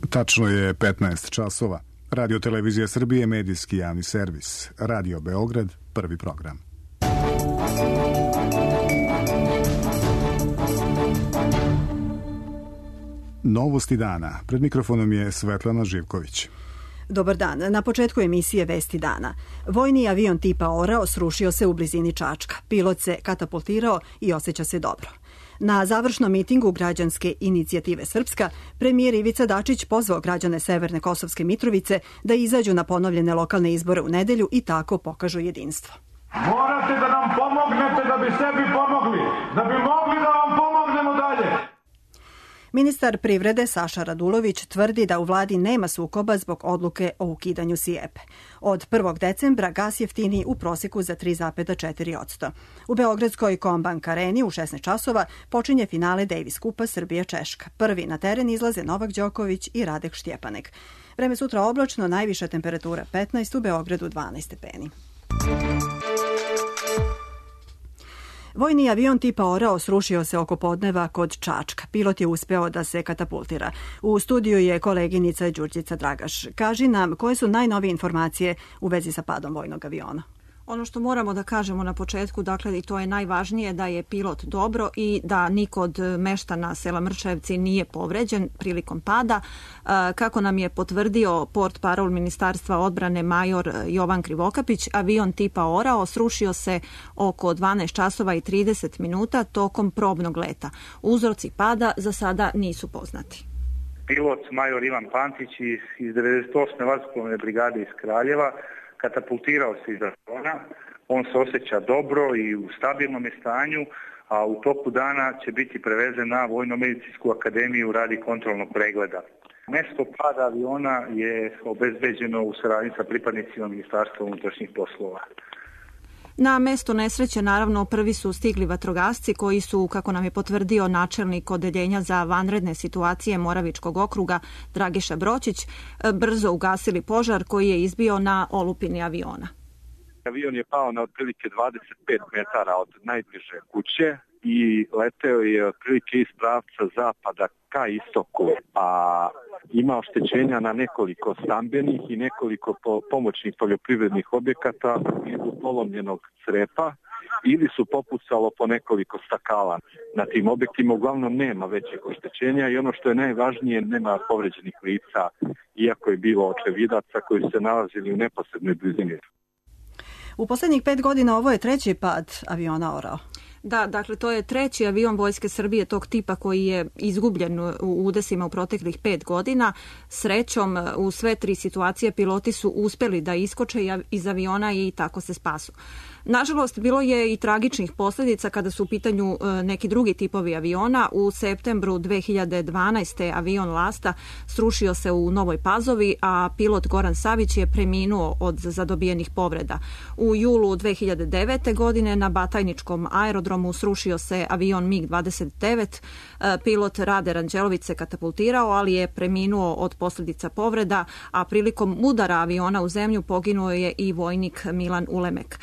Tačno je 15 časova. Radio Televizija Srbije, medijski javni servis. Radio Beograd, prvi program. Novosti dana. Pred mikrofonom je Svetlana Živković. Dobar dan. Na početku emisije Vesti dana. Vojni avion tipa Orao srušio se u blizini Čačka. Pilot se katapultirao i osjeća se dobro. Na završnom mitingu Građanske inicijative Srpska, premijer Ivica Dačić pozvao građane Severne Kosovske Mitrovice da izađu na ponovljene lokalne izbore u nedelju i tako pokažu jedinstvo. Morate da nam pomognete da bi sebi pomogli, da bi mogli da vam pomognemo dalje. Ministar privrede Saša Radulović tvrdi da u vladi nema sukoba zbog odluke o ukidanju SIEPE. Od 1. decembra gas jeftini u proseku za 3,4%. U Beogradskoj Kombank areni u 16 časova počinje finale Davis kupa Srbija-Češka. Prvi na teren izlaze Novak Đoković i Radek Štjepanek. Vreme sutra oblačno, najviša temperatura 15, u Beogradu 12 stepeni. Vojni avion tipa Orao srušio se oko podneva kod Čačka. Pilot je uspeo da se katapultira. U studiju je koleginica Đurđica Dragaš. Kaži nam koje su najnovije informacije u vezi sa padom vojnog aviona. Ono što moramo da kažemo na početku, dakle, i to je najvažnije, da je pilot dobro i da niko od meštana sela Mrčajevci nije povređen prilikom pada. Kako nam je potvrdio portparol Ministarstva odbrane major Jovan Krivokapić, avion tipa Orao srušio se oko 12 časova i 30 minuta tokom probnog leta. Uzroci pada za sada nisu poznati. Pilot major Ivan Pantić iz 98. vazduhoplovne brigade iz Kraljeva katapultirao se iz aviona, on se osjeća dobro i u stabilnom je stanju, a u toku dana će biti prevezen na Vojno-medicinsku akademiju radi kontrolnog pregleda. Mesto pada aviona je obezbeđeno u saradnji sa pripadnicima Ministarstva unutrašnjih poslova. Na mesto nesreće, naravno, prvi su stigli vatrogasci koji su, kako nam je potvrdio načelnik odeljenja za vanredne situacije Moravičkog okruga Dragiša Bročić, brzo ugasili požar koji je izbio na olupini aviona. Avion je pao na otprilike 25 metara od najbliže kuće i leteo je otprilike iz pravca zapada ka istoku, a ima oštećenja na nekoliko stambenih i nekoliko pomoćnih poljoprivrednih objekata iz polomljenog crepa ili su popucalo po nekoliko stakala. Na tim objektima uglavnom nema većih oštećenja i ono što je najvažnije, nema povređenih lica, iako je bilo očevidaca koji se nalazili u neposrednoj blizini. U posljednjih 5 godina ovo je treći pad aviona Orao. Da, dakle, to je treći avion Vojske Srbije tog tipa koji je izgubljen u udesima u proteklih 5 godina. Srećom, u sve 3 situacije piloti su uspeli da iskoče iz aviona i tako se spasu. Nažalost, bilo je i tragičnih posljedica kada su u pitanju neki drugi tipovi aviona. U septembru 2012. avion Lasta srušio se u Novoj Pazovi, a pilot Goran Savić je preminuo od zadobijenih povreda. U julu 2009. godine na Batajničkom aerodromu srušio se avion MiG-29. Pilot Rade Ranđelović se katapultirao, ali je preminuo od posljedica povreda, a prilikom udara aviona u zemlju poginuo je i vojnik Milan Ulemek.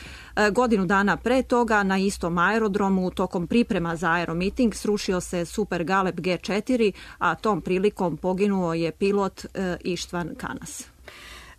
Godinu dana pre toga na istom aerodromu tokom priprema za aeromiting srušio se Super Galeb G4, a tom prilikom poginuo je pilot Ištvan Kanas.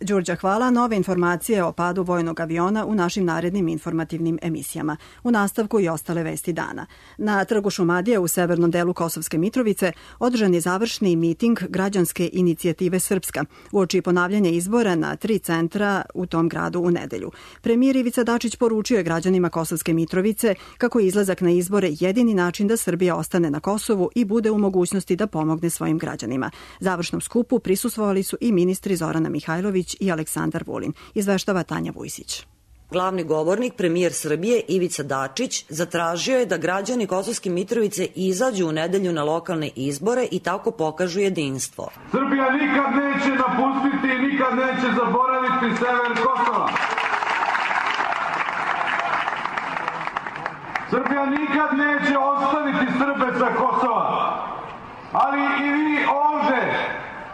Đurđa, hvala. Nove informacije o padu vojnog aviona u našim narednim informativnim emisijama. U nastavku i ostale vesti dana. Na trgu Šumadije u severnom delu Kosovske Mitrovice održan je završni miting Građanske inicijative Srpska uoči ponavljanja izbora na 3 centra u tom gradu u nedelju. Premijer Ivica Dačić poručio je građanima Kosovske Mitrovice kako je izlazak na izbore jedini način da Srbija ostane na Kosovu i bude u mogućnosti da pomogne svojim građanima. Završnom skupu prisustvovali su i ministri Zorana Mihajlović i Aleksandar Vulin. Izveštava Tanja Vujsić. Glavni govornik, premijer Srbije Ivica Dačić, zatražio je da građani Kosovske Mitrovice izađu u nedelju na lokalne izbore i tako pokažu jedinstvo. Srbija nikad neće napustiti i nikad neće zaboraviti sever Kosova. Srbija nikad neće ostaviti Srbe sa Kosova. Ali i vi ovde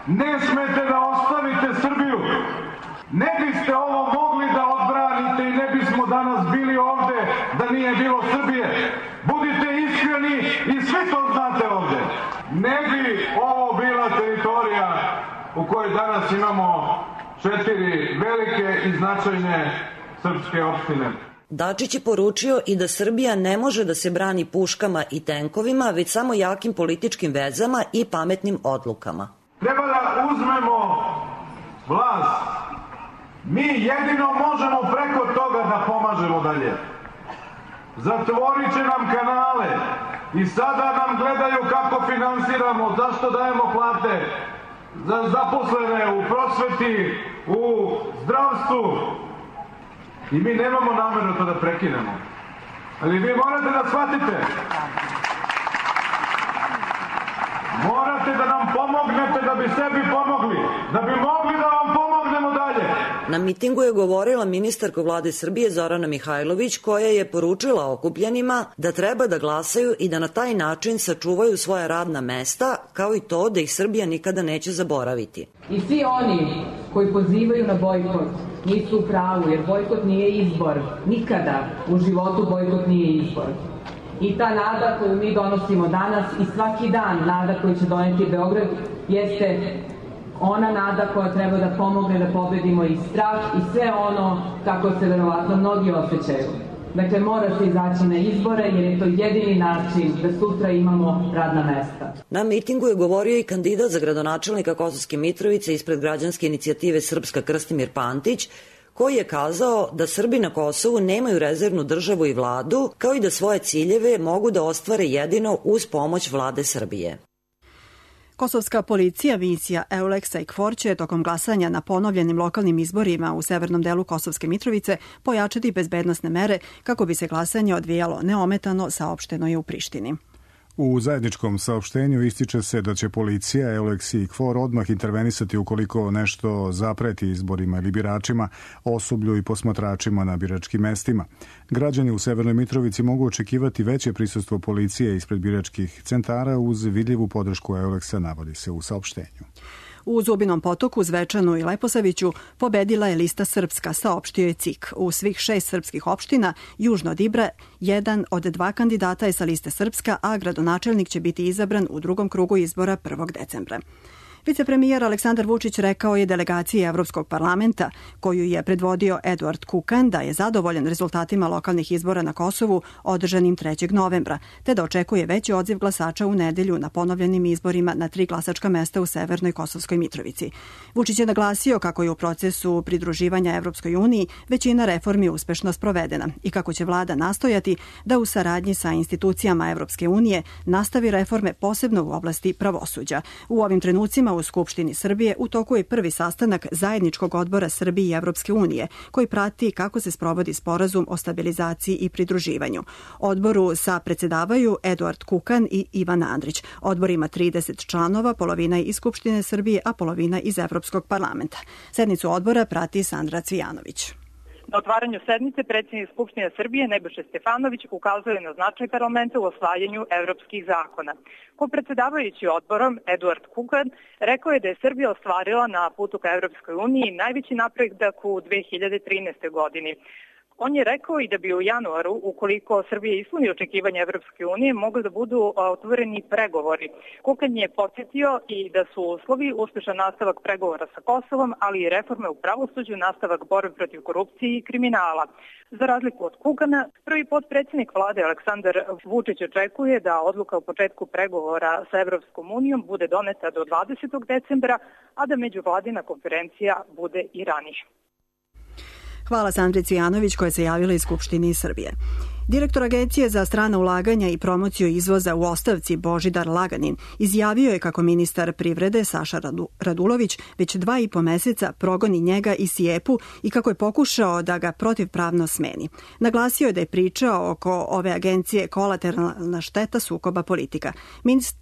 ne smete da ostavite Srbiju. Ne biste ovo mogli da odbranite i ne bismo danas bili ovde da nije bilo Srbije. Budite iskreni i svi to znate ovde. Ne bi ovo bila teritorija u kojoj danas imamo 4 velike i značajne srpske opštine. Dačić je poručio i da Srbija ne može da se brani puškama i tenkovima, već samo jakim političkim vezama i pametnim odlukama. Treba da uzmemo vlast. Mi jedino možemo preko toga da pomažemo dalje. Zatvorit će nam kanale i sada nam gledaju kako finansiramo, zašto dajemo plate za zaposlene u prosveti, u zdravstvu. I mi nemamo nameru to da prekinemo. Ali vi morate da shvatite. Morate da nam pomognete da bi sebi pomogli. Da bi mogli da vam pomognemo dalje. Na mitingu je govorila ministarka vlade Srbije Zorana Mihajlović, koja je poručila okupljenima da treba da glasaju i da na taj način sačuvaju svoja radna mesta, kao i to da ih Srbija nikada neće zaboraviti. I svi oni koji pozivaju na bojkot nisu u pravu, jer bojkot nije izbor. Nikada u životu bojkot nije izbor. I ta nada koju mi donosimo danas i svaki dan nada koju će doneti Beograd jeste ona nada koja treba da pomogne da pobedimo i strah i sve ono kako se verovatno mnogi osjećaju. Dakle, mora se izaći na izbore jer je to jedini način da sutra imamo radna mesta. Na mitingu je govorio i kandidat za gradonačelnika Kosovske Mitrovice ispred građanske inicijative Srpska Krstimir Pantić, koji je kazao da Srbi na Kosovu nemaju rezervnu državu i vladu, kao i da svoje ciljeve mogu da ostvare jedino uz pomoć vlade Srbije. Kosovska policija, misija EULEX-a i KFOR će tokom glasanja na ponovljenim lokalnim izborima u severnom delu Kosovske Mitrovice pojačati bezbednosne mere kako bi se glasanje odvijalo neometano, saopšteno je u Prištini. U zajedničkom saopštenju ističe se da će policija, EULEX i KFOR odmah intervenisati ukoliko nešto zapreti izborima ili biračima, osoblju i posmatračima na biračkim mestima. Građani u Severnoj Mitrovici mogu očekivati veće prisustvo policije ispred biračkih centara uz vidljivu podršku EULEX-a, navodi se u saopštenju. U Zubinom Potoku, Zvečanu i Leposaviću pobedila je lista Srpska, saopštio je CIK. U svih 6 srpskih opština, južno od Ibra, jedan od 2 kandidata je sa liste Srpska, a gradonačelnik će biti izabran u drugom krugu izbora 1. decembra. Vicepremijer Aleksandar Vučić rekao je delegaciji Evropskog parlamenta, koju je predvodio Eduard Kukan, da je zadovoljan rezultatima lokalnih izbora na Kosovu održanim 3. novembra, te da očekuje veći odziv glasača u nedelju na ponovljenim izborima na 3 glasačka mesta u Severnoj Kosovskoj Mitrovici. Vučić je naglasio kako je u procesu pridruživanja Evropskoj uniji većina reformi uspešno sprovedena i kako će vlada nastojati da u saradnji sa institucijama Evropske unije nastavi reforme posebno u oblasti pravosuđa. U ovim trenucima u Skupštini Srbije u toku je prvi sastanak zajedničkog odbora Srbije i Evropske unije, koji prati kako se sprovodi sporazum o stabilizaciji i pridruživanju. Odboru sa predsedavaju Eduard Kukan i Ivan Andrić. Odbor ima 30 članova, polovina je iz Skupštine Srbije, a polovina iz Evropskog parlamenta. Sednicu odbora prati Sandra Cvijanović. Na otvaranju sednice predsjednik Skupštine Srbije Nebojša Stefanović ukazuje na značaj parlamenta u osvajanju evropskih zakona. Kopredsedavajući odborom Eduard Kukan rekao je da je Srbija ostvarila na putu ka Evropskoj uniji najveći napredak u 2013. godini. On je rekao i da bi u januaru, ukoliko Srbija ispuni očekivanja Evropske unije, mogli da budu otvoreni pregovori. Kukan je podsjetio i da su uslovi uspešan nastavak pregovora sa Kosovom, ali i reforme u pravosuđu, nastavak borbe protiv korupcije i kriminala. Za razliku od Kukana, prvi potpredsjednik vlade Aleksandar Vučić očekuje da odluka o početku pregovora sa Evropskom unijom bude doneta do 20. decembra, a da međuvladina konferencija bude i ranije. Hvala Sandri Cvijanović koja se javila iz Skupštine Srbije. Direktor Agencije za strana ulaganja i promociju izvoza u ostavci Božidar Laganin izjavio je kako ministar privrede Saša Radulović već 2,5 meseca progoni njega i SIEP-u i kako je pokušao da ga protivpravno smeni. Naglasio je da je priča oko ove agencije kolateralna šteta sukoba politika.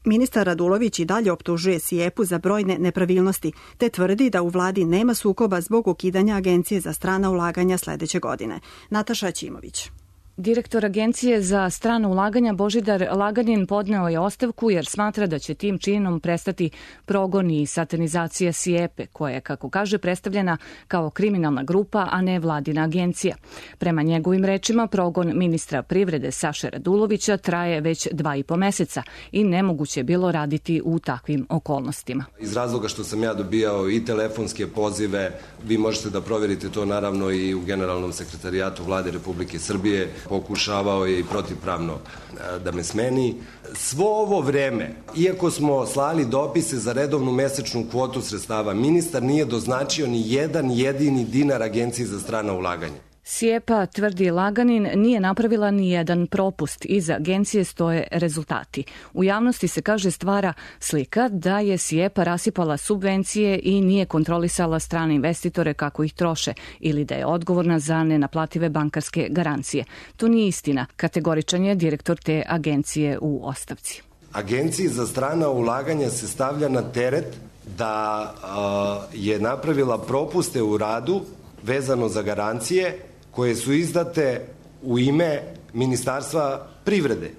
Ministar Radulović i dalje optužuje SIEP-u za brojne nepravilnosti, te tvrdi da u vladi nema sukoba zbog ukidanja Agencije za strana ulaganja sledeće godine. Nataša Ćimović. Direktor Agencije za strana ulaganja Božidar Laganin podneo je ostavku jer smatra da će tim činom prestati progon i satanizacija SIEPA, koja je, kako kaže, predstavljena kao kriminalna grupa, a ne vladina agencija. Prema njegovim rečima, progon ministra privrede Saše Radulovića traje već 2,5 meseca i nemoguće je bilo raditi u takvim okolnostima. Iz razloga što sam ja dobijao i telefonske pozive, vi možete da proverite to naravno i u Generalnom sekretarijatu Vlade Republike Srbije, pokušavao je i protivpravno da me smeni. Svo ovo vreme, iako smo slali dopise za redovnu mesečnu kvotu sredstava, ministar nije doznačio ni jedan jedini dinar Agenciji za strana ulaganja. SIEPA, tvrdi Laganin, nije napravila ni jedan propust. Iza agencije stoje rezultati. U javnosti se, kaže, stvara slika da je SIEPA rasipala subvencije i nije kontrolisala strane investitore kako ih troše ili da je odgovorna za nenaplative bankarske garancije. To nije istina, kategoričan je direktor te agencije u ostavci. Agenciji za strana ulaganja se stavlja na teret da je napravila propuste u radu vezano za garancije koje su izdate u ime Ministarstva privrede.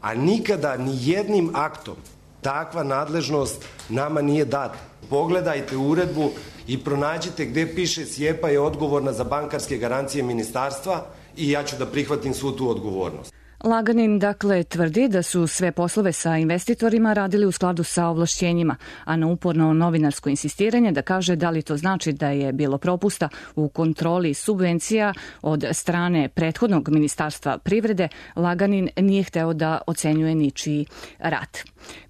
A nikada ni jednim aktom takva nadležnost nama nije data. Pogledajte uredbu i pronađite gde piše SIEPA je odgovorna za bankarske garancije ministarstva i ja ću da prihvatim svu tu odgovornost. Laganin, dakle, tvrdi da su sve poslove sa investitorima radili u skladu sa ovlašćenjima, a na uporno novinarsko insistiranje da kaže da li to znači da je bilo propusta u kontroli subvencija od strane prethodnog Ministarstva privrede, Laganin nije hteo da ocenjuje ničiji rad.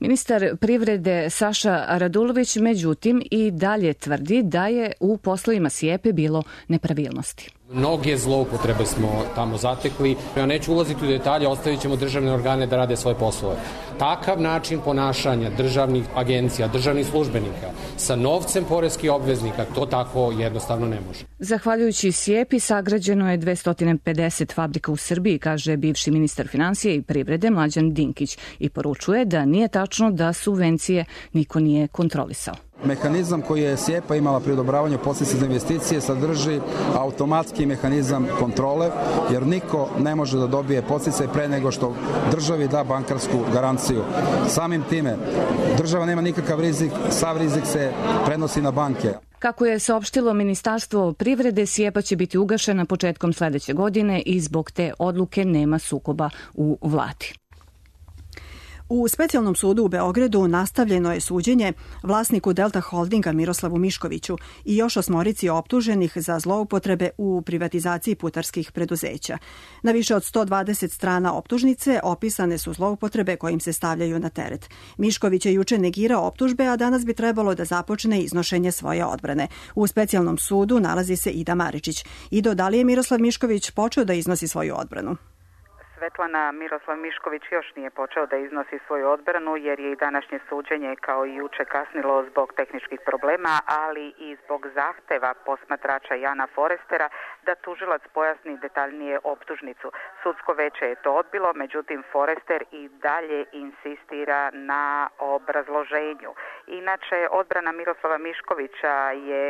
Ministar privrede Saša Radulović, međutim, i dalje tvrdi da je u poslovima SIEPA bilo nepravilnosti. Mnoge zloupotrebe smo tamo zatekli. Ja neću ulaziti u detalje, ostavit ćemo državne organe da rade svoje poslove. Takav način ponašanja državnih agencija, državnih službenika sa novcem poreskih obveznika, to tako jednostavno ne može. Zahvaljujući SIEPA sagrađeno je 250 fabrika u Srbiji, kaže bivši ministar finansije i privrede Mlađan Dinkić i poručuje da nije tačno da subvencije niko nije kontrolisao. Mehanizam koji je SIEPA imala pri odobravanju podsticaja za investicije sadrži automatski mehanizam kontrole, jer niko ne može da dobije podsticaj pre nego što državi da bankarsku garanciju. Samim time, država nema nikakav rizik, sav rizik se prenosi na banke. Kako je saopštilo Ministarstvo privrede, SIEPA će biti ugašena početkom sledeće godine i zbog te odluke nema sukoba u vladi. U Specijalnom sudu u Beogradu nastavljeno je suđenje vlasniku Delta Holdinga Miroslavu Miškoviću i još 8 optuženih za zloupotrebe u privatizaciji putarskih preduzeća. Na više od 120 strana optužnice opisane su zloupotrebe kojim se stavljaju na teret. Mišković je juče negirao optužbe, a danas bi trebalo da započne iznošenje svoje odbrane. U Specijalnom sudu nalazi se Ida Maričić. Ido, da li je Miroslav Mišković počeo da iznosi svoju odbranu? Svetlana, Miroslav Mišković još nije počeo da iznosi svoju odbranu jer je i današnje suđenje kao i juče kasnilo zbog tehničkih problema, ali i zbog zahteva posmatrača Jana Forestera da tužilac pojasni detaljnije optužnicu. Sudsko veće je to odbilo, međutim Forester i dalje insistira na obrazloženju. Inače, odbrana Miroslava Miškovića je,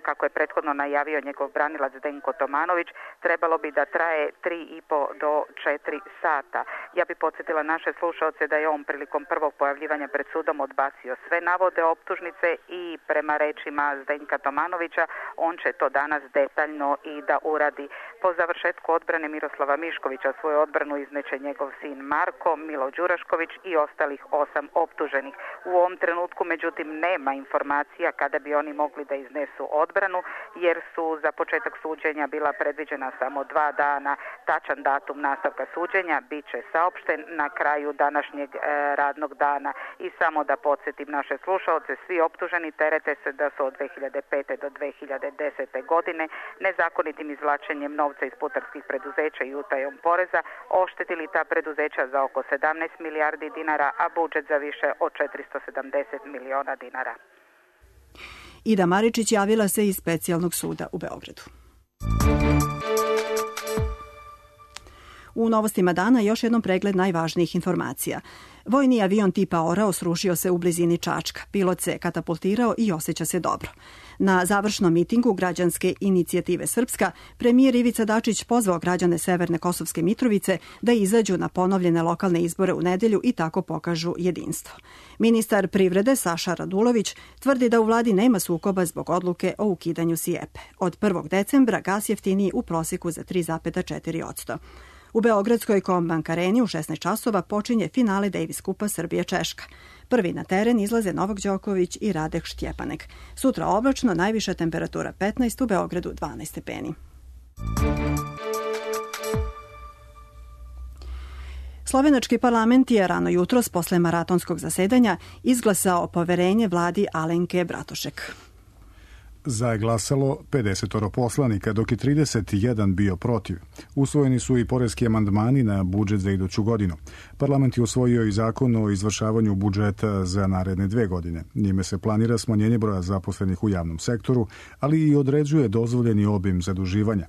kako je prethodno najavio njegov branilac Zdenko Tomanović, trebalo bi da traje 3,5 do 4 sata. Ja bi podsjetila naše slušaoce da je on prilikom prvog pojavljivanja pred sudom odbacio sve navode optužnice i prema rečima Zdenka Tomanovića on će to danas detaljno i da uradi. Po završetku odbrane Miroslava Miškovića svoju odbranu izneće njegov sin Marko, Milo Đurašković i ostalih 8 optuženih. U ovom trenutku međutim nema informacija kada bi oni mogli da iznesu odbranu jer su za početak suđenja bila predviđena samo 2 dana. Tačan datum nastavka suđenja bit će saopšten na kraju današnjeg radnog dana. I samo da podsjetim naše slušaoce, svi optuženi terete se da su od 2005. do 2010. godine nezakonitim izvlačenjem novca iz putarskih preduzeća i utajom poreza oštetili ta preduzeća za oko 17 milijardi dinara, a budžet za više od 470 miliona dinara. Ida Maričić javila se iz Specijalnog suda u Beogradu. U novostima dana još jednom pregled najvažnijih informacija. Vojni avion tipa Orao srušio se u blizini Čačka. Pilot se katapultirao i osjeća se dobro. Na završnom mitingu Građanske inicijative Srpska, premijer Ivica Dačić pozvao građane Severne Kosovske Mitrovice da izađu na ponovljene lokalne izbore u nedelju i tako pokažu jedinstvo. Ministar privrede Saša Radulović tvrdi da u vladi nema sukoba zbog odluke o ukidanju SIEPE. Od 1. decembra gas jeftiniji u proseku za 3,4%. U Beogradskoj Combank areni u 16 časova počinje finale Davis Kupa Srbija-Češka. Prvi na teren izlaze Novak Đoković i Radek Štjepanek. Sutra oblačno, najviša temperatura 15, u Beogradu 12 stepeni. Slovenački parlament je rano jutros posle maratonskog zasedanja izglasao poverenje vladi Alenke Bratušek. Za je glasalo 50 poslanika, dok je 31 bio protiv. Usvojeni su i poreski amandmani na budžet za iduću godinu. Parlament je usvojio i zakon o izvršavanju budžeta za naredne 2 godine. Njime se planira smanjenje broja zaposlenih u javnom sektoru, ali i određuje dozvoljeni obim zaduživanja.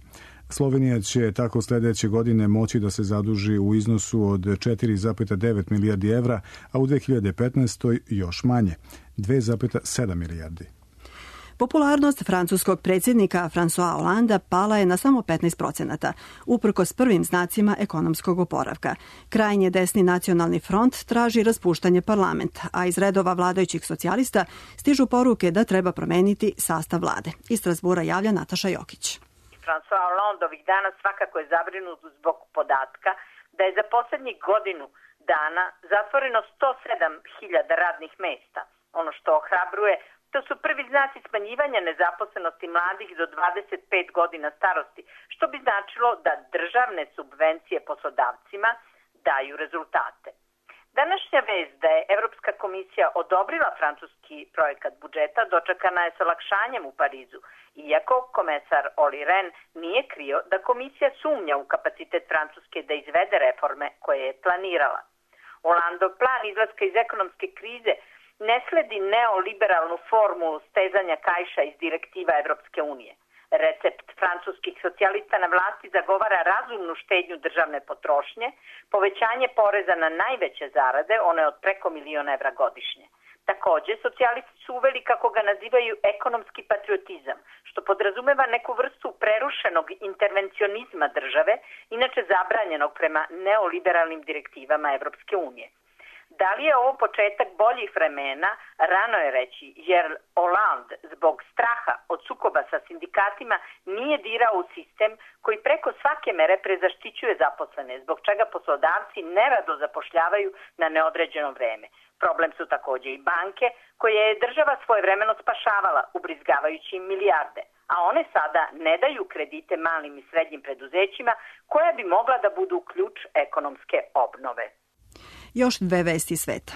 Slovenija će tako sljedeće godine moći da se zaduži u iznosu od 4,9 milijardi evra, a u 2015. još manje, 2,7 milijardi. Popularnost francuskog predsjednika François Hollanda pala je na samo 15%, uprkos prvim znacima ekonomskog oporavka. Krajnje desni nacionalni front traži raspuštanje parlamenta, a iz redova vladajućih socijalista stižu poruke da treba promeniti sastav vlade. Iz Strasbura javlja Nataša Jokić. François Hollande ovih dana svakako je zabrinut zbog podatka da je za poslednjih godinu dana zatvoreno 107.000 radnih mesta. Ono što ohrabruje, to su prvi znaci smanjivanja nezaposlenosti mladih do 25 godina starosti, što bi značilo da državne subvencije poslodavcima daju rezultate. Današnja vest da je Evropska komisija odobrila francuski projekat budžeta dočekana je sa olakšanjem u Parizu, iako komesar Olli Rehn nije krio da komisija sumnja u kapacitet Francuske da izvede reforme koje je planirala. Hollandov plan izlaska iz ekonomske krize ne sledi neoliberalnu formulu stezanja kaiša iz direktiva Evropske unije. Recept francuskih socijalista na vlasti zagovara razumnu štednju državne potrošnje, povećanje poreza na najveće zarade, one od preko 1.000.000 evra godišnje. Takođe, socijalisti su uveli, kako ga nazivaju, ekonomski patriotizam, što podrazumeva neku vrstu prerušenog intervencionizma države, inače zabranjenog prema neoliberalnim direktivama Evropske unije. Da li je ovo početak boljih vremena, rano je reći, jer Hollande zbog straha od sukoba sa sindikatima nije dirao u sistem koji preko svake mere prezaštićuje zaposlene, zbog čega poslodavci nerado zapošljavaju na neodređeno vreme. Problem su takođe i banke, koje je država svojevremeno spašavala, ubrizgavajući im milijarde, a one sada ne daju kredite malim i srednjim preduzećima, koja bi mogla da budu ključ ekonomske obnove. Još 2 vesti sveta.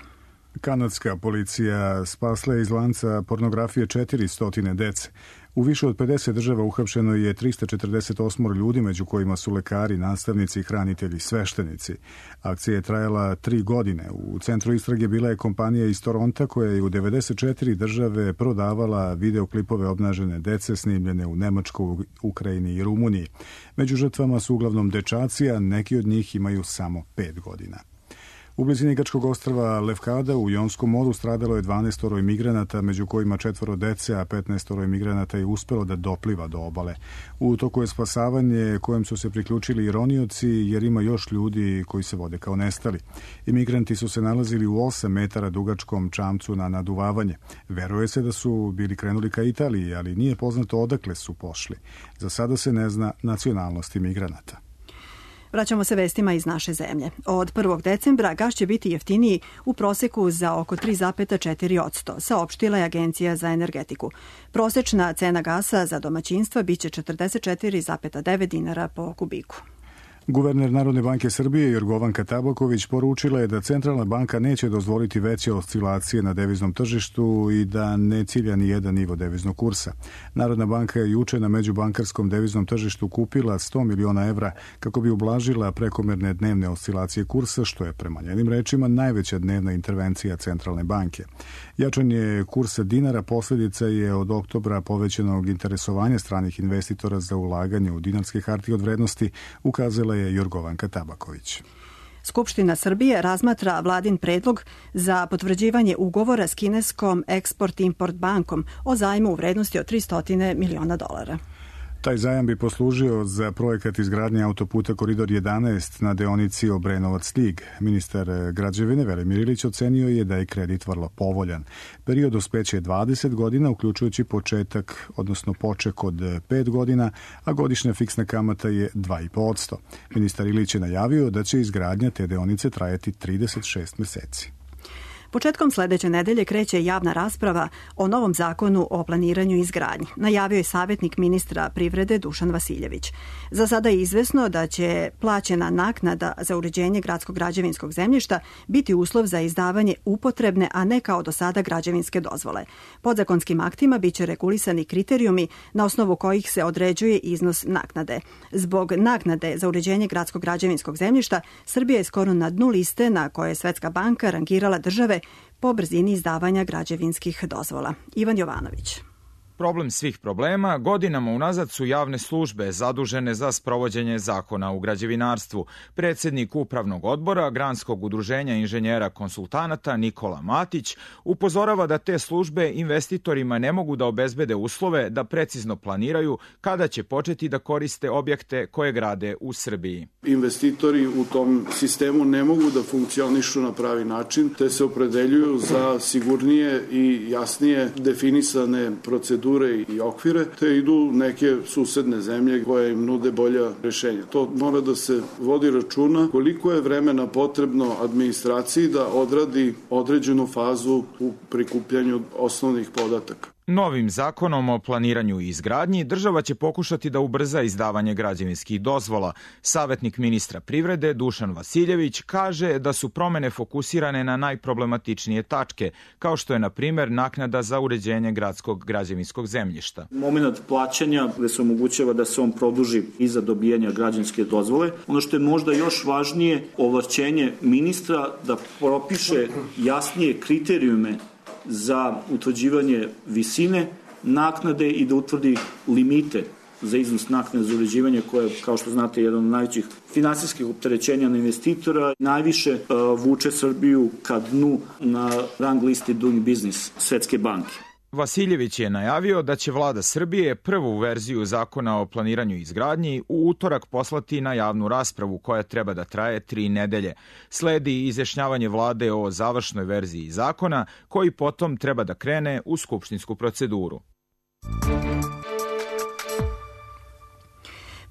Kanadska policija spasla je iz lanca pornografije 400 dece. U više od 50 država uhapšeno je 348 ljudi, među kojima su lekari, nastavnici, hranitelji, sveštenici. Akcija je trajala 3 godine. U centru istrage bila je kompanija iz Toronta koja je u 94 države prodavala videoklipove obnažene dece snimljene u Nemačkoj, Ukrajini i Rumuniji. Među žrtvama su uglavnom dečaci, a neki od njih imaju samo 5 godina. U blizini grčkog ostrva Lefkada u Jonskom moru stradalo je 12 imigranata, među kojima 4 dece, a 15 imigranata je uspelo da dopliva do obale. U toku je spasavanje kojem su se priključili i ronioci, jer ima još ljudi koji se vode kao nestali. Imigranti su se nalazili u 8 metara dugačkom čamcu na naduvavanje. Veruje se da su bili krenuli ka Italiji, ali nije poznato odakle su pošli. Za sada se ne zna nacionalnost imigranata. Vraćamo se vestima iz naše zemlje. Od 1. decembra gas će biti jeftiniji u proseku za oko 3,4%, saopštila je Agencija za energetiku. Prosečna cena gasa za domaćinstva biće 44,9 dinara po kubiku. Guverner Narodne banke Srbije Jorgovanka Tabaković poručila je da Centralna banka neće dozvoliti veće oscilacije na deviznom tržištu i da ne cilja ni jedan nivo deviznog kursa. Narodna banka je juče na međubankarskom deviznom tržištu kupila 100 miliona evra kako bi ublažila prekomerne dnevne oscilacije kursa, što je prema njenim rečima najveća dnevna intervencija Centralne banke. Jačanje kursa dinara posljedica je od oktobra povećanog interesovanja stranih investitora za ulaganje u dinarske hartije od vrednosti, ukazala Čitala je Jorgovanka Tabaković. Skupština Srbije razmatra vladin predlog za potvrđivanje ugovora s kineskom Export-Import bankom o zajmu u vrednosti od $300 miliona. Taj zajam bi poslužio za projekat izgradnje autoputa Koridor 11 na deonici Obrenovac-Stig. Ministar građevine Velimir Ilić ocenio je da je kredit vrlo povoljan. Period dospeća je 20 godina, uključujući početak, odnosno poček od 5 godina, a godišnja fiksna kamata je 2,5%. Ministar Ilić je najavio da će izgradnja te deonice trajati 36 meseci. Početkom sledeće nedelje kreće javna rasprava o novom zakonu o planiranju i izgradnji. Najavio je savjetnik ministra privrede Dušan Vasiljević. Za sada je izvesno da će plaćena naknada za uređenje gradskog građevinskog zemljišta biti uslov za izdavanje upotrebne, a ne kao do sada građevinske dozvole. Podzakonskim aktima biće regulisani kriterijumi na osnovu kojih se određuje iznos naknade. Zbog naknade za uređenje gradskog građevinskog zemljišta, Srbija je skoro na dnu liste na koje je Svetska banka rangirala države po brzini izdavanja građevinskih dozvola. Ivan Jovanović. Problem svih problema godinama unazad su javne službe zadužene za sprovođenje zakona u građevinarstvu. Predsjednik Upravnog odbora Granskog udruženja inženjera konsultanata Nikola Matić upozorava da te službe investitorima ne mogu da obezbede uslove da precizno planiraju kada će početi da koriste objekte koje grade u Srbiji. Investitori u tom sistemu ne mogu da funkcionišu na pravi način, te se opredeljuju za sigurnije i jasnije definisane procedure i okvire, te idu neke susedne zemlje koje im nude bolja rešenja. To mora da se vodi računa koliko je vremena potrebno administraciji da odradi određenu fazu u prikupljanju osnovnih podataka. Novim zakonom o planiranju i izgradnji država će pokušati da ubrza izdavanje građevinskih dozvola. Savjetnik ministra privrede Dušan Vasiljević kaže da su promene fokusirane na najproblematičnije tačke, kao što je na primer naknada za uređenje gradskog građevinskog zemljišta. Moment plaćanja gde se omogućava da se on produži iza dobijanja građevinske dozvole. Ono što je možda još važnije, ovlašćenje ministra da propiše jasnije kriterijume za utvrđivanje visine naknade i da utvrdi limite za iznos naknade za uređivanje koje, kao što znate, je jedan od najvećih finansijskih opterećenja na investitora. Najviše vuče Srbiju ka dnu na rang listi Doing Business Svetske banke. Vasiljević je najavio da će vlada Srbije prvu verziju zakona o planiranju i izgradnji u utorak poslati na javnu raspravu koja treba da traje 3 nedelje. Sledi izjašnjavanje vlade o završnoj verziji zakona koji potom treba da krene u skupštinsku proceduru.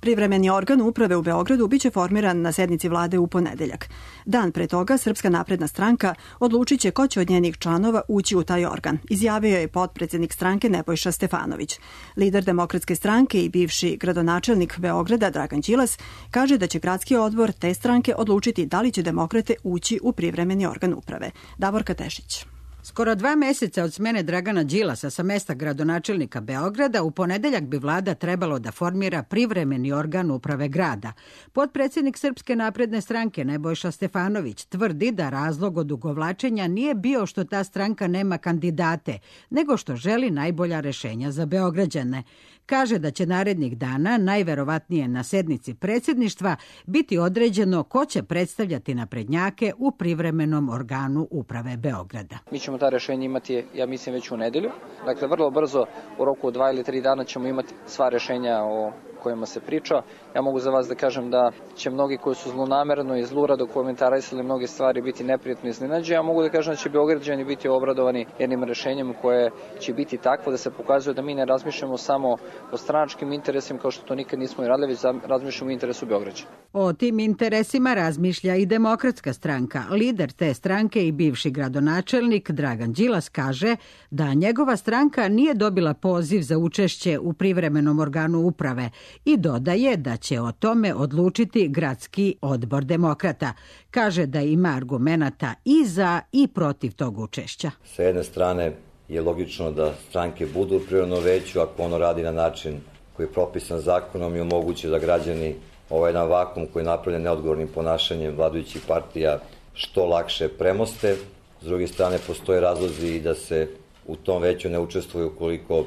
Privremeni organ uprave u Beogradu biće formiran na sednici vlade u ponedeljak. Dan pre toga Srpska napredna stranka odlučit će ko će od njenih članova ući u taj organ, izjavio je potpredsednik stranke Nebojša Stefanović. Lider Demokratske stranke i bivši gradonačelnik Beograda Dragan Đilas kaže da će gradski odbor te stranke odlučiti da li će demokrate ući u privremeni organ uprave. Davorka Tešić. Skoro 2 meseca od smene Dragana Đilasa sa mesta gradonačelnika Beograda, u ponedeljak bi vlada trebalo da formira privremeni organ uprave grada. Potpredsednik Srpske napredne stranke Nebojša Stefanović tvrdi da razlog odugovlačenja nije bio što ta stranka nema kandidate, nego što želi najbolja rešenja za Beograđane. Kaže da će narednih dana, najverovatnije na sednici predsjedništva, biti određeno ko će predstavljati naprednjake u privremenom organu uprave Beograda. Mi ćemo ta rešenja imati, ja mislim, već u nedelju. Dakle, vrlo brzo, u roku od 2 ili 3 dana ćemo imati sva rešenja o kojima se priča. Ja mogu za vas da kažem da će mnogi koji su zlonamerno i zlurado komentarisali mnoge stvari biti neprijatno iznenađeni. Ja mogu da kažem da će Beograđani biti obradovani jednim rešenjem koje će biti takvo da se pokazuje da mi ne razmišljamo samo o stranačkim interesima kao što to nikad nismo i radili, već razmišljamo o interesu Beograđana. O tim interesima razmišlja i Demokratska stranka. Lider te stranke i bivši gradonačelnik Dragan Đilas kaže da njegova stranka nije dobila poziv za učešće u privremenom organu uprave i dodaje da će o tome odlučiti gradski odbor demokrata. Kaže da ima argumenata i za i protiv tog učešća. Sa jedne strane je logično da stranke budu u privremenom veću ako ono radi na način koji je propisan zakonom i omoguće da građani ovaj jedan vakum koji je napravljen neodgovornim ponašanjem vladajućih partija što lakše premoste. S druge strane, postoje razlozi i da se u tom veću ne učestvuje ukoliko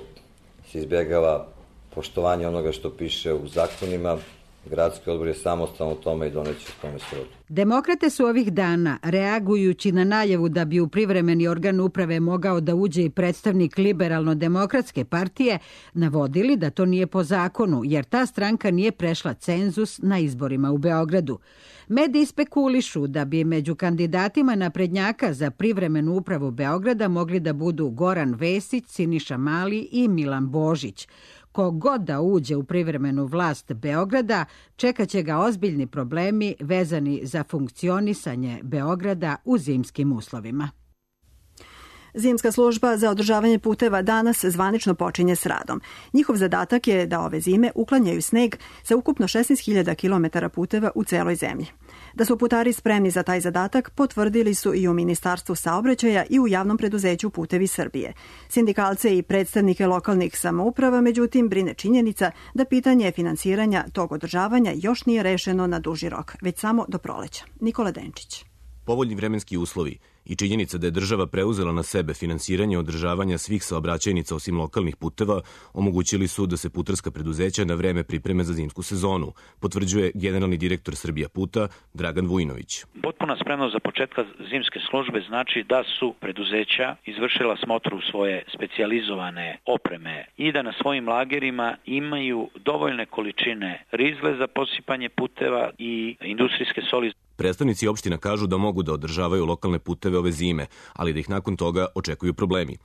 se izbjegava poštovanje onoga što piše u zakonima Gradski odbor je samostalno u tome i doneće u tome srodu. Demokrate su ovih dana, reagujući na najavu da bi u privremeni organ uprave mogao da uđe i predstavnik Liberalno-demokratske partije, navodili da to nije po zakonu, jer ta stranka nije prešla cenzus na izborima u Beogradu. Mediji spekulišu da bi među kandidatima naprednjaka za privremenu upravu Beograda mogli da budu Goran Vesić, Siniša Mali i Milan Božić. Kogod da uđe u privremenu vlast Beograda, čekaće ga ozbiljni problemi vezani za funkcionisanje Beograda u zimskim uslovima. Zimska služba za održavanje puteva danas zvanično počinje s radom. Njihov zadatak je da ove zime uklanjaju sneg sa ukupno 16.000 km puteva u celoj zemlji. Da su putari spremni za taj zadatak potvrdili su i u Ministarstvu saobraćaja i u javnom preduzeću Putevi Srbije. Sindikalce i predstavnike lokalnih samouprava, međutim, brine činjenica da pitanje finansiranja tog održavanja još nije rešeno na duži rok, već samo do proleća. Nikola Denčić. Povoljni vremenski uslovi i činjenica da je država preuzela na sebe finansiranje održavanja svih saobraćajnica osim lokalnih puteva omogućili su da se putarska preduzeća na vreme pripreme za zimsku sezonu, potvrđuje generalni direktor Srbija puta Dragan Vujinović. Potpuna spremnost za početka zimske službe znači da su preduzeća izvršila smotru svoje specijalizovane opreme i da na svojim lagerima imaju dovoljne količine rizle za posipanje puteva i industrijske soli. Predstavnici opština kažu da mogu da održavaju lokalne puteve ove zime, ali da ih nakon toga očekuju problemi.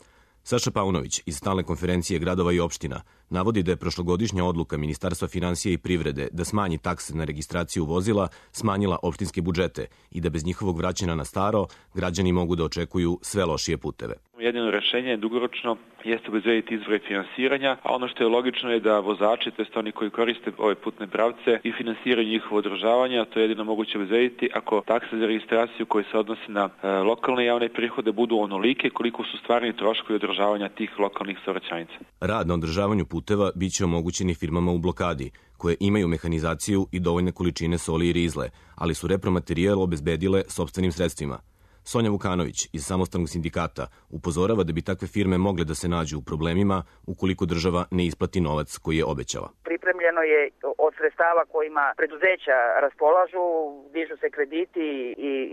Saša Paunović iz stalne konferencije gradova i opština navodi da je prošlogodišnja odluka Ministarstva finansija i privrede da smanji takse na registraciju vozila smanjila opštinske budžete i da bez njihovog vraćanja na staro građani mogu da očekuju sve lošije puteve. Jedino rešenje dugoročno jeste obezbediti izvore finansiranja, a ono što je logično je da vozači, tj. oni koji koriste ove putne pravce i finansiraju njihovo održavanje, a to je jedino moguće obezbediti ako takse za registraciju koje se odnose na lokalne javne prihode budu onolike koliko su stvarni troškovi održavanja tih lokalnih saobraćajnica. Rad na održavanju puteva biće omogućeni firmama u blokadi, koje imaju mehanizaciju i dovoljne količine soli i rizle, ali su repromaterijal obezbedile sopstvenim sredstvima. Sonja Vukanović iz samostalnog sindikata upozorava da bi takve firme mogle da se nađu u problemima ukoliko država ne isplati novac koji je obećala. Pripremljeno je od sredstava kojima preduzeća raspolažu, dižu se krediti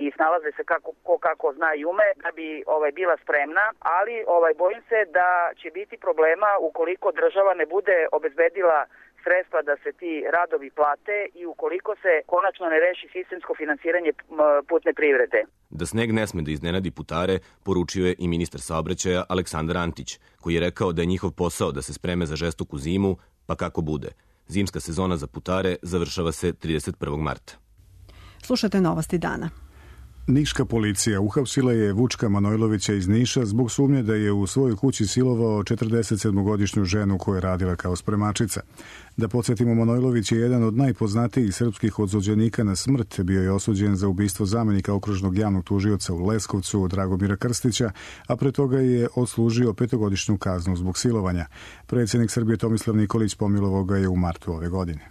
i snalaze se kako zna i ume da bi bila spremna, ali bojim se da će biti problema ukoliko država ne bude obezbedila sredstva da se ti radovi plate i ukoliko se konačno ne reši sistemsko finansiranje putne privrede. Da sneg ne sme da iznenadi putare, poručio je i ministar saobraćaja Aleksandar Antić, koji je rekao da je njihov posao da se spreme za žestoku zimu, pa kako bude. Zimska sezona za putare završava se 31. marta. Slušate novosti dana. Niška policija uhapsila je Vučka Manojlovića iz Niša zbog sumnje da je u svojoj kući silovao 47-godišnju ženu koja je radila kao spremačica. Da podsjetimo, Manojlović je jedan od najpoznatijih srpskih odsuđenika na smrt. Bio je osuđen za ubistvo zamenika okružnog javnog tužioca u Leskovcu Dragomira Krstića, a pre toga je odslužio 5-godišnju kaznu zbog silovanja. Predsjednik Srbije Tomislav Nikolić pomilovao ga je u martu ove godine.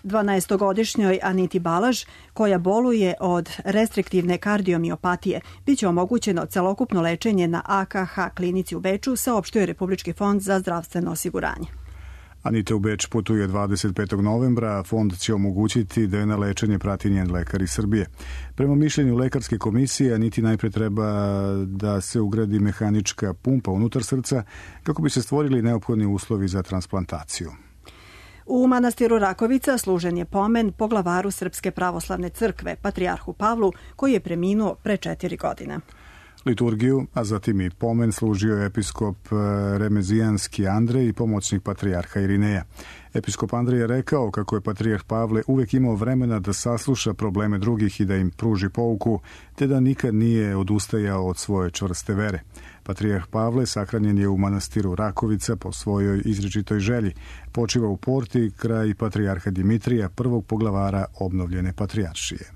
12-godišnjoj Aniti Balaž, koja boluje od restriktivne kardiomiopatije, biće omogućeno celokupno lečenje na AKH klinici u Beču, saopštio je Republički fond za zdravstveno osiguranje. Anita u Beč putuje 25. novembra, a fond će omogućiti da je na lečenje prati njen lekar iz Srbije. Prema mišljenju lekarske komisije, Aniti najpre treba da se ugradi mehanička pumpa unutar srca kako bi se stvorili neophodni uslovi za transplantaciju. U manastiru Rakovica služen je pomen poglavaru Srpske pravoslavne crkve, patrijarhu Pavlu, koji je preminuo pre 4 godine. Liturgiju, a zatim i pomen, služio je episkop Remezijanski Andrej i pomoćnik patrijarha Irineja. Episkop Andrej je rekao kako je patrijarh Pavle uvek imao vremena da sasluša probleme drugih i da im pruži pouku, te da nikad nije odustajao od svoje čvrste vere. Patrijarh Pavle sahranjen je u manastiru Rakovica po svojoj izričitoj želji. Počiva u Porti kraj patrijarha Dimitrija, prvog poglavara obnovljene patrijaršije.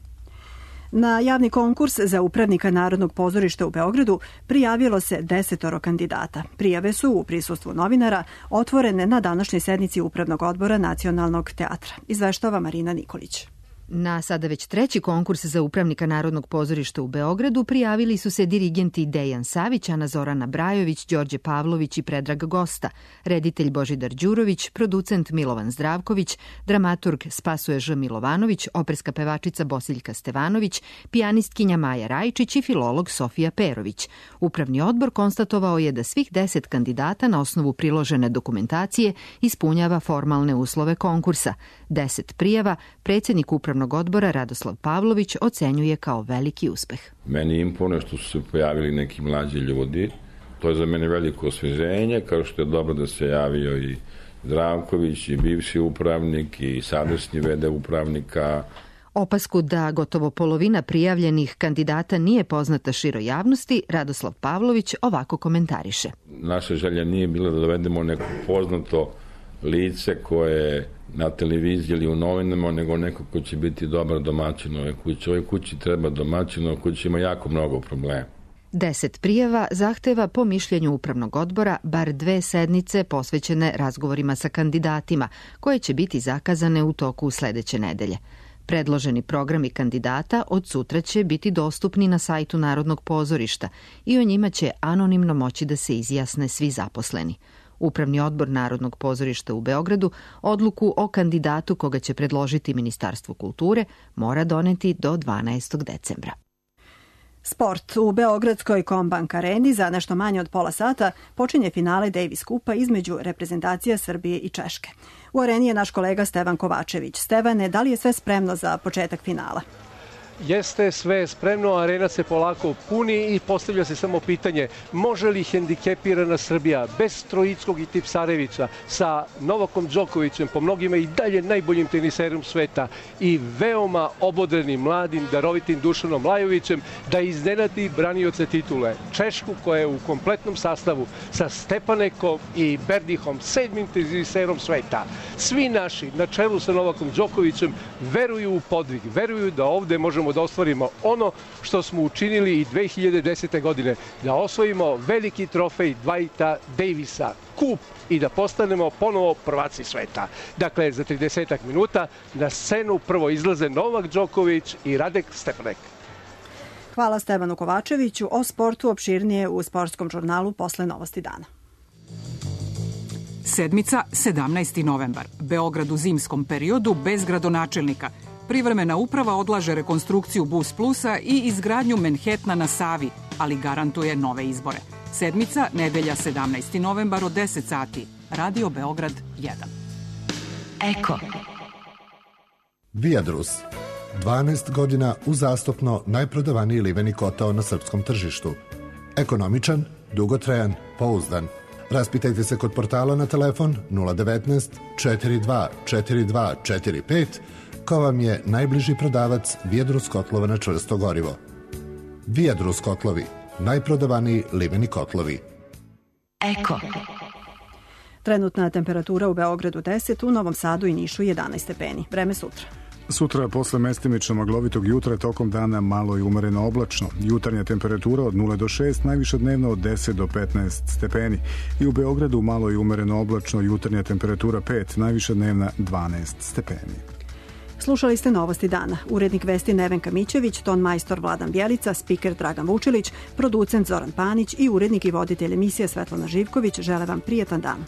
Na javni konkurs za upravnika Narodnog pozorišta u Beogradu prijavilo se 10 kandidata. Prijave su u prisustvu novinara otvorene na današnjoj sednici Upravnog odbora Nacionalnog teatra. Izveštava Marina Nikolić. Na sada već treći konkurs za upravnika Narodnog pozorišta u Beogradu prijavili su se dirigenti Dejan Savić, Ana Zorana Brajović, Đorđe Pavlović i Predrag Gosta, reditelj Božidar Đurović, producent Milovan Zdravković, dramaturg Spasoje Ž. Milovanović, operska pevačica Bosiljka Stevanović, pijanistkinja Maja Rajčić i filolog Sofija Perović. Upravni odbor konstatovao je da svih 10 kandidata na osnovu priložene dokumentacije ispunjava formalne uslove konkursa. 10 prijava predsjednik upravnog odbora Radoslav Pavlović ocenjuje kao veliki uspeh. Meni imponuje što su se pojavili neki mlađi ljudi. To je za mene veliko osveženje, kao što je dobro da se javio i Zdravković, i bivši upravnik, i sadašnji v.d. upravnika. Opasku da gotovo polovina prijavljenih kandidata nije poznata široj javnosti, Radoslav Pavlović ovako komentariše. Naša želja nije bila da dovedemo neko poznato lice koje na televiziji ili u novinama, nego neko ko će biti dobar domaćin ove kuće. Ove kući treba domaćin, ove kući ima jako mnogo problema. 10 prijava zahteva po mišljenju upravnog odbora bar 2 sednice posvećene razgovorima sa kandidatima, koje će biti zakazane u toku sledeće nedelje. Predloženi programi kandidata od sutra će biti dostupni na sajtu Narodnog pozorišta i o njima će anonimno moći da se izjasne svi zaposleni. Upravni odbor Narodnog pozorišta u Beogradu odluku o kandidatu koga će predložiti Ministarstvo kulture mora doneti do 12. decembra. Sport. U Beogradskoj Kombank areni za nešto manje od pola sata počinje finale Davis kupa između reprezentacija Srbije i Češke. U areni je naš kolega Stevan Kovačević. Stevane, da li je sve spremno za početak finala? Jeste, sve je spremno, arena se polako puni i postavlja se samo pitanje može li hendikepirana Srbija bez Trojickog i Tipsarevića sa Novakom Đokovićem, po mnogima i dalje najboljim teniserom sveta i veoma obodrenim, mladim, darovitim Dušanom Lajovićem da iznenadi branioce titule Češku koja je u kompletnom sastavu sa Stepanekom i Berdihom, 7. teniserom sveta. Svi naši, na čelu sa Novakom Đokovićem, veruju u podvig, veruju da ovde možemo da ostvarimo ono što smo učinili i 2010. godine, da osvojimo veliki trofej Dwighta Davisa, kup, i da postanemo ponovo prvaci sveta. Dakle, za 30 minuta na scenu prvo izlaze Novak Đoković i Radek Stepanek. Hvala Stevanu Kovačeviću. O sportu opširnije u sportskom žurnalu posle Novosti dana. Sedmica, 17. novembar. Beograd u zimskom periodu bez gradonačelnika. Privremena uprava odlaže rekonstrukciju Bus Plusa i izgradnju Manhattana na Savi, ali garantuje nove izbore. Sedmica, nedelja 17. novembar od 10 sati. Radio Beograd 1. Eko. Viadrus. 12 godina uzastopno najprodavaniji liveni kotao na srpskom tržištu. Ekonomičan, dugotrajan, pouzdan. Raspitajte se kod portala na telefon 019 42 42 45 ko vam je najbliži prodavac Viadrus kotlova na čvrsto gorivo. Viadrus kotlovi, najprodavaniji liveni kotlovi. Eko. Trenutna temperatura u Beogradu 10, u Novom Sadu i Nišu 11 stepeni. Vreme sutra. Sutra posle mestimično maglovitog jutra tokom dana malo i umereno oblačno. Jutarnja temperatura od 0 do 6, najviša dnevno od 10 do 15 stepeni. I u Beogradu malo i umereno oblačno, jutarnja temperatura 5, najviša dnevna 12 stepeni. Slušali ste Novosti dana. Urednik vesti Nevenka Mićević, ton majstor Vladan Bjelica, spiker Dragan Vučilić, producent Zoran Panić i urednik i voditelj emisije Svetlana Živković žele vam prijetan dan.